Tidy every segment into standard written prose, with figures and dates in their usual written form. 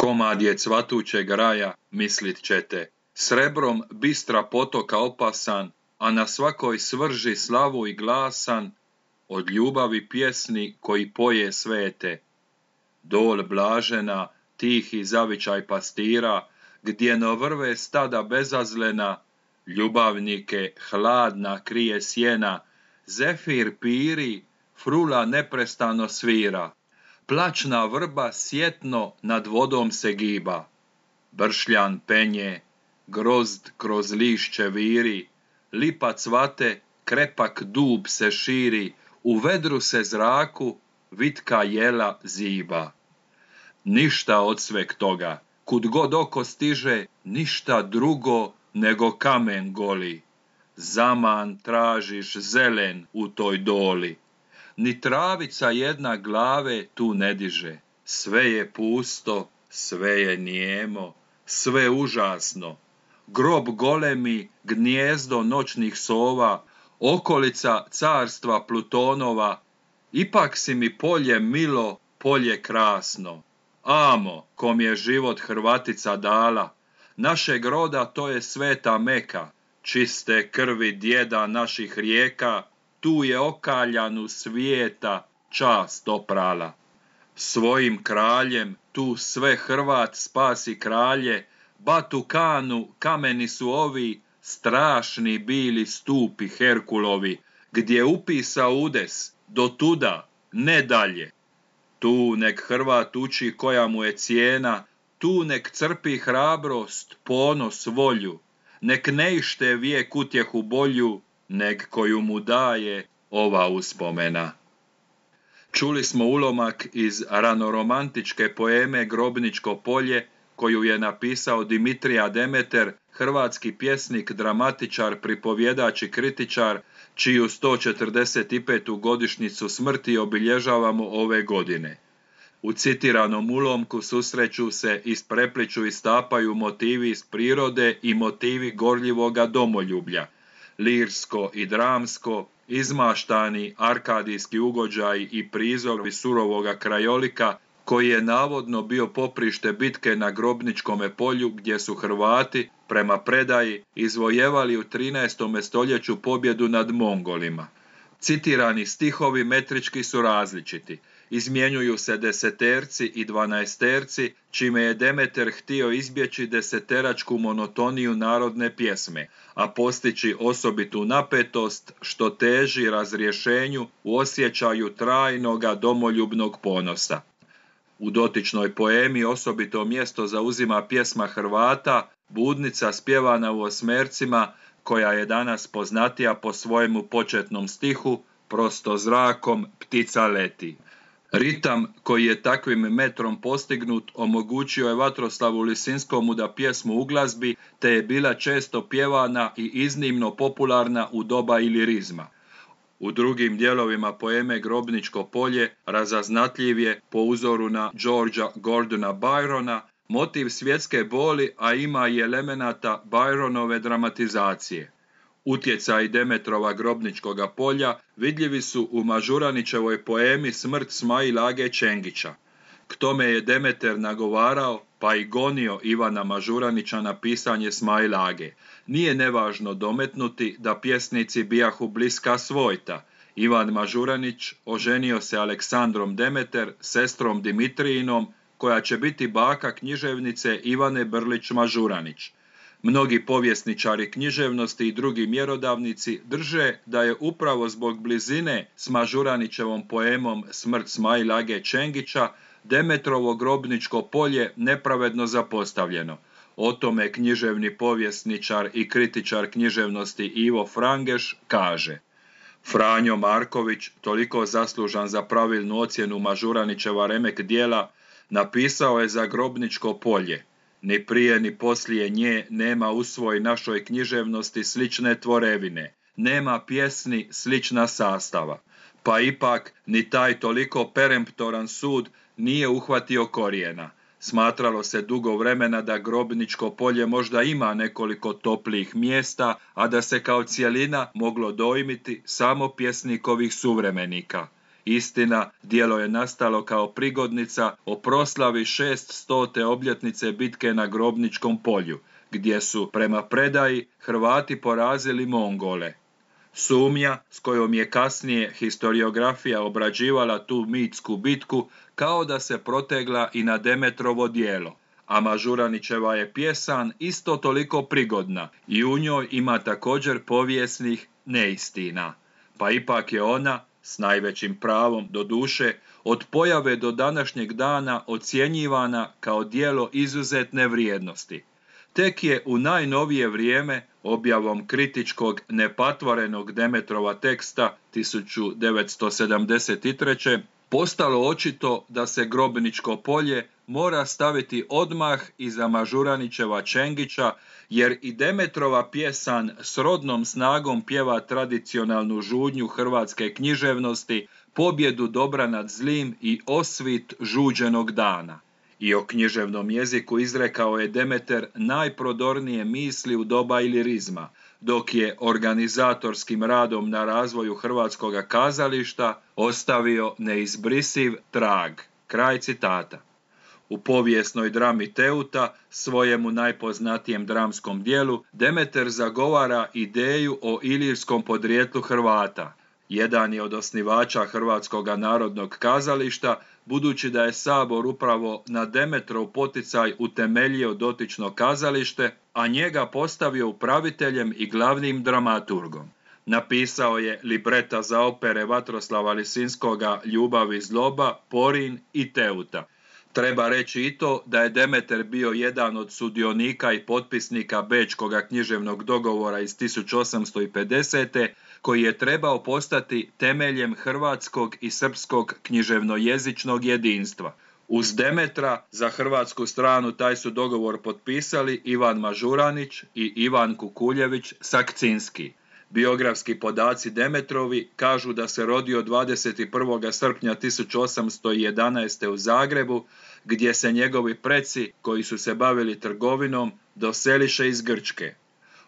Komad je cvatućeg raja, mislit ćete, srebrom bistra potoka opasan, a na svakoj svrži slavu i glasan, od ljubavi pjesni koji poje svete. Dol blažena, tihi zavičaj pastira, gdje no vrve stada bezazlena, ljubavnike hladna krije sjena, zefir piri, frula neprestano svira, plačna vrba sjetno nad vodom se giba, bršljan penje, grozd kroz lišće viri, lipa cvate, krepak dub se širi, u vedru se zraku vitka jela ziba. Ništa od sveg toga, kud god oko stiže, ništa drugo nego kamen goli. Zaman tražiš zelen u toj doli. Ni travica jedna glave tu ne diže. Sve je pusto, sve je nijemo, sve užasno. Grob golemi, gnijezdo noćnih sova, okolica carstva Plutonova. Ipak si mi polje milo, polje krasno. Amo, kom je život Hrvatica dala, našeg roda to je sveta Meka, čiste krvi djeda naših rijeka, tu je okaljanu svijeta čast oprala. Svojim kraljem tu sve Hrvat spasi kralje, Batu Kanu kameni su ovi, strašni bili stupi Herkulovi, gdje upisa udes, do tuda, ne dalje. Tu nek Hrvat uči koja mu je cijena, tu nek crpi hrabrost, ponos, volju, nek ne ište vijek utjehu bolju, nek koju mu daje ova uspomena. Čuli smo ulomak iz ranoromantičke poeme Grobničko polje, koju je napisao Dimitrija Demeter, hrvatski pjesnik, dramatičar, pripovjedač i kritičar, čiju 145. godišnjicu smrti obilježavamo ove godine. U citiranom ulomku susreću se, isprepliču i stapaju motivi iz prirode i motivi gorljivoga domoljublja, lirsko i dramsko, izmaštani arkadijski ugođaj i prizori surovoga krajolika, koji je navodno bio poprište bitke na Grobničkome polju, gdje su Hrvati, prema predaji, izvojevali u 13. stoljeću pobjedu nad Mongolima. Citirani stihovi metrički su različiti. Izmjenjuju se deseterci i dvanaesterci, čime je Demeter htio izbjeći deseteračku monotoniju narodne pjesme, a postići osobitu napetost što teži razrješenju u osjećaju trajnoga domoljubnog ponosa. U dotičnoj poemi osobito mjesto zauzima pjesma Hrvata, Budnica spjevana u osmercima, koja je danas poznatija po svojemu početnom stihu Prosto zrakom ptica leti. Ritam koji je takvim metrom postignut omogućio je Vatroslavu Lisinskomu da pjesmu uglazbi, te je bila često pjevana i iznimno popularna u doba ilirizma. U drugim dijelovima poeme Grobničko polje razaznatljiv je, po uzoru na Georgea Gordona Byrona, motiv svjetske boli, a ima i elemenata Byronove dramatizacije. Utjecaj Demetrova Grobničkoga polja vidljivi su u Mažuranićevoj poemi Smrt Smail Age Čengića. K tome je Demeter nagovarao pa i gonio Ivana Mažuranića na pisanje Smail Age. Nije nevažno dometnuti da pjesnici bijahu bliska svojta. Ivan Mažuranić oženio se Aleksandrom Demeter, sestrom Dimitrijinom, koja će biti baka književnice Ivane Brlić Mažuranić. Mnogi povjesničari književnosti i drugi mjerodavnici drže da je upravo zbog blizine s Mažuranićevom poemom Smrt Smail Age Čengića Demetrovo Grobničko polje nepravedno zapostavljeno. O tome književni povjesničar i kritičar književnosti Ivo Frangeš kaže: Franjo Marković, toliko zaslužan za pravilnu ocjenu Mažuranićeva remek djela, napisao je za Grobničko polje: Ni prije ni poslije nje nema u svoj našoj književnosti slične tvorevine, nema pjesni slična sastava. Pa ipak ni taj toliko peremptoran sud nije uhvatio korijena. Smatralo se dugo vremena da Grobničko polje možda ima nekoliko toplijih mjesta, a da se kao cjelina moglo dojmiti samo pjesnikovih suvremenika. Istina, djelo je nastalo kao prigodnica o proslavi 600. obljetnice bitke na Grobničkom polju, gdje su, prema predaji, Hrvati porazili Mongole. Sumnja s kojom je kasnije historiografija obrađivala tu mitsku bitku kao da se protegla i na Demetrovo djelo, a Mažuranićeva je pjesan isto toliko prigodna i u njoj ima također povijesnih neistina, pa ipak je ona, s najvećim pravom doduše, od pojave do današnjeg dana ocjenjivana kao djelo izuzetne vrijednosti. Tek je u najnovije vrijeme, objavom kritičkog nepatvorenog Demetrova teksta 1973. postalo očito da se Grobničko polje mora staviti odmah iza Mažuranićeva Čengića, jer i Demetrova pjesan s rodnom snagom pjeva tradicionalnu žudnju hrvatske književnosti, pobjedu dobra nad zlim i osvit žuđenog dana. I o književnom jeziku izrekao je Demeter najprodornije misli u doba ilirizma, dok je organizatorskim radom na razvoju hrvatskoga kazališta ostavio neizbrisiv trag. Kraj citata. U povijesnoj drami Teuta, svojemu najpoznatijem dramskom dijelu, Demeter zagovara ideju o ilirskom podrijetlu Hrvata. Jedan je od osnivača Hrvatskoga narodnog kazališta, budući da je Sabor upravo na Demetrov poticaj utemeljio dotično kazalište, a njega postavio upraviteljem i glavnim dramaturgom. Napisao je libreta za opere Vatroslava Lisinskoga, Ljubav i zloba, Porin i Teuta. Treba reći i to da je Demeter bio jedan od sudionika i potpisnika Bečkoga književnog dogovora iz 1850. koji je trebao postati temeljem hrvatskog i srpskog književnojezičnog jedinstva. Uz Demetra za hrvatsku stranu taj su dogovor potpisali Ivan Mažuranić i Ivan Kukuljević Sakcinski. Biografski podaci Demetrovi kažu da se rodio 21. srpnja 1811. u Zagrebu, gdje se njegovi preci, koji su se bavili trgovinom, doseliše iz Grčke.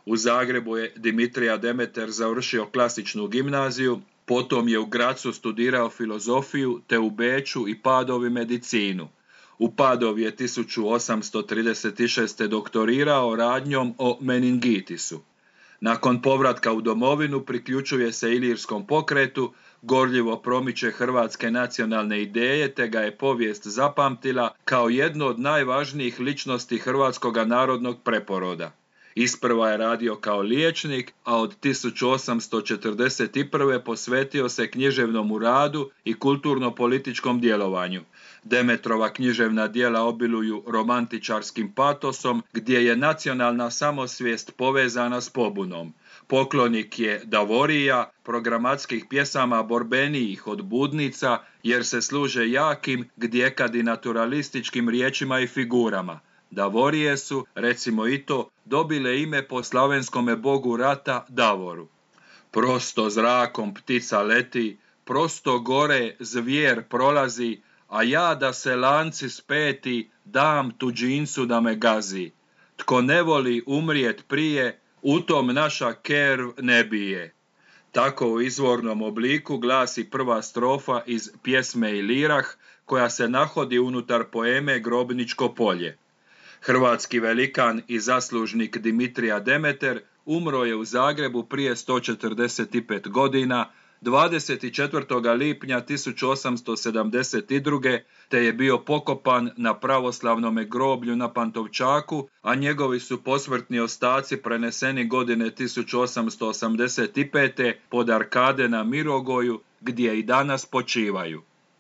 U Zagrebu je Dimitrija Demeter završio klasičnu gimnaziju, potom je u Grazu studirao filozofiju, te u Beču i Padovi medicinu. U Padovi je 1836. doktorirao radnjom o meningitisu. Nakon povratka u domovinu priključuje se ilirskom pokretu, gorljivo promiče hrvatske nacionalne ideje, te ga je povijest zapamtila kao jednu od najvažnijih ličnosti hrvatskoga narodnog preporoda. Isprva je radio kao liječnik, a od 1841. posvetio se književnom radu i kulturno-političkom djelovanju. Demetrova književna djela obiluju romantičarskim patosom, gdje je nacionalna samosvijest povezana s pobunom. Poklonik je Davorija, programatskih pjesama borbenijih od budnica, jer se služe jakim, gdjekad i naturalističkim riječima i figurama. Davorije su, recimo i to, dobile ime po slavenskome bogu rata Davoru. Prosto zrakom ptica leti, prosto gore zvijer prolazi, a ja da se lanci speti, dam tuđincu da me gazi. Tko ne voli umrijet prije, u tom naša kerv ne bije. Tako u izvornom obliku glasi prva strofa iz pjesme Ilirah, koja se nahodi unutar poeme Grobničko polje. Hrvatski velikan i zaslužnik Dimitrija Demeter umro je u Zagrebu prije 145 godina, 24. lipnja 1872. te je bio pokopan na pravoslavnome groblju na Pantovčaku, a njegovi su posmrtni ostaci preneseni godine 1885. pod arkade na Mirogoju, gdje i danas počivaju.